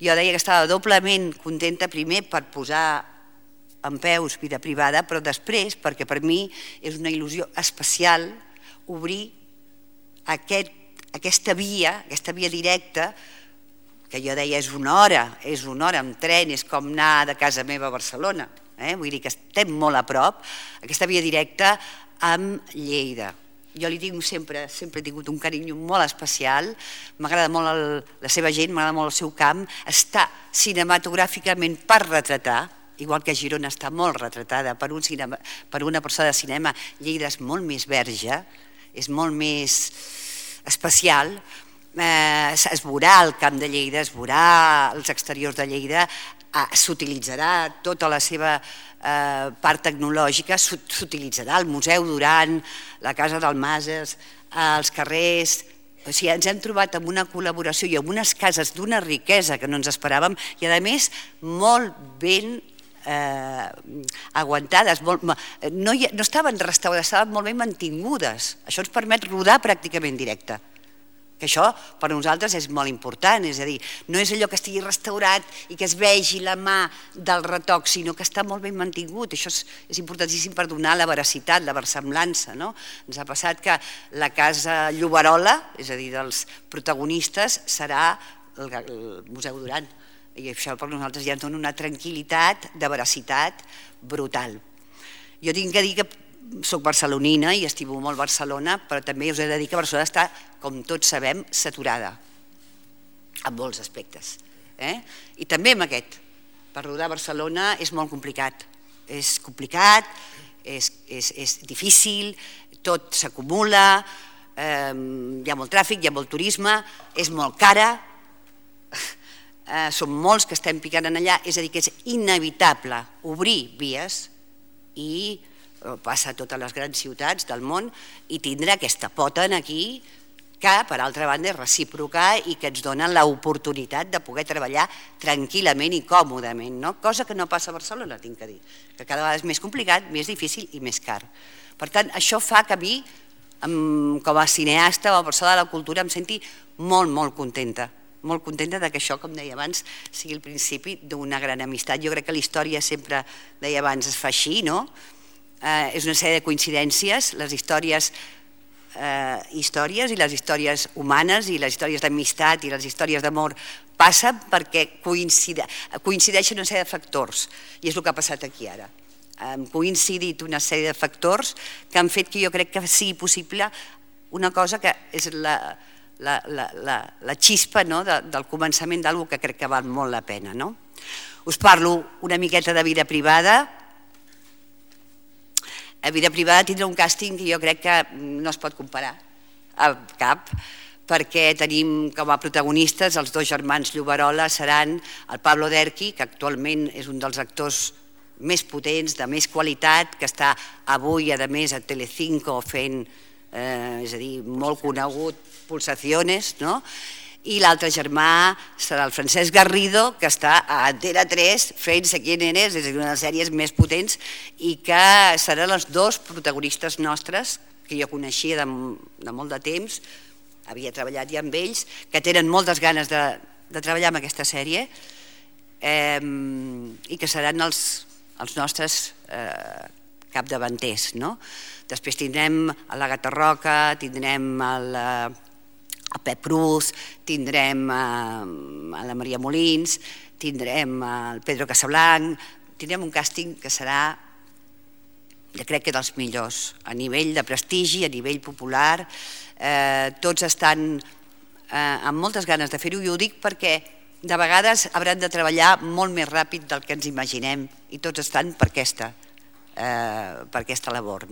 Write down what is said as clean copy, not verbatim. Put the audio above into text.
Jo deia que estava doblement contenta, primer per posar en peus Vida Privada, però després perquè per mi és una il·lusió especial obrir aquesta via directa, que jo deia és una hora amb tren, és com anar de casa meva a Barcelona, vull dir que estem molt a prop, aquesta via directa amb Lleida. Jo li tinc sempre he tingut un carinyo molt especial, m'agrada molt la seva gent, m'agrada molt el seu camp, està cinematogràficament per retratar, igual que Girona està molt retratada per una persona de cinema, Lleida és molt més verge, és molt més especial, es veurà el camp de Lleida, es veurà els exteriors de Lleida, s'utilitzarà tota la seva part tecnològica, s'utilitzarà el Museu Duran, la Casa d'Almases, els carrers. O sigui, ens hem trobat amb una col·laboració i amb unes cases d'una riquesa que no ens esperàvem i a més molt ben aguantades, no estaven restaurades, estaven molt ben mantingudes. Això ens permet rodar pràcticament directe. Que això per a nosaltres és molt important, és a dir, no és allò que estigui restaurat i que es vegi la mà del retoc, sinó que està molt ben mantingut. Això és importantíssim per donar la veracitat, la versemblança. Ens ha passat que la casa Lloberola, és a dir, dels protagonistes, serà el Museu Duran. I això per nosaltres ja ens dona una tranquil·litat de veracitat brutal. Jo tinc que dir que soc barcelonina i estimo molt Barcelona, però també us he de dir que Barcelona està, com tots sabem, saturada en molts aspectes. I també amb aquest. Per rodar a Barcelona és molt complicat. És complicat, és difícil, tot s'acumula, hi ha molt tràfic, hi ha molt turisme, és molt cara, som molts que estem picant en allà, és a dir, que és inevitable obrir vies i passa a totes les grans ciutats del món i tindre aquesta pota aquí que, per altra banda, és recíproca i que ens dona l'oportunitat de poder treballar tranquil·lament i còmodament, cosa que no passa a Barcelona, tinc que dir, que cada vegada és més complicat, més difícil i més car. Per tant, això fa que a mi, com a cineasta o a persona de la cultura, em senti molt, molt contenta que això, com deia abans, sigui el principi d'una gran amistat. Jo crec que la història sempre, deia abans, es fa així, no? És una sèrie de coincidències, les històries i les històries humanes i les històries d'amistat i les històries d'amor passen perquè coincideixen una sèrie de factors i és el que ha passat aquí ara. Han coincidit una sèrie de factors que han fet que jo crec que sigui possible una cosa que és la xispa del començament d'alguna que crec que val molt la pena. Us parlo una miqueta de Vida Privada. A Vida Privada tindrà un càsting que jo crec que no es pot comparar al cap, perquè tenim com a protagonistes els dos germans Lloberola, seran el Pablo Derqui, que actualment és un dels actors més potents, de més qualitat, que està avui, a més, a Telecinco fent, és a dir, molt conegut, Pulsaciones, i l'altre germà serà el Francesc Garrido, que està a Antena 3 fent Sé quién eres, és una de les sèries més potents, i que seran els dos protagonistes nostres, que jo coneixia de molt de temps, havia treballat ja amb ells, que tenen moltes ganes de treballar en aquesta sèrie, i que seran els nostres capdavanters. Després tindrem a l'Àgata Roca, tindrem a Pep Cruz, tindrem a la Maria Molins, tindrem el Pedro Casablanc, tindrem un càsting que serà, jo crec que dels millors, a nivell de prestigi, a nivell popular, tots estan amb moltes ganes de fer-ho i ho dic perquè de vegades hauran de treballar molt més ràpid del que ens imaginem i tots estan per aquesta labor.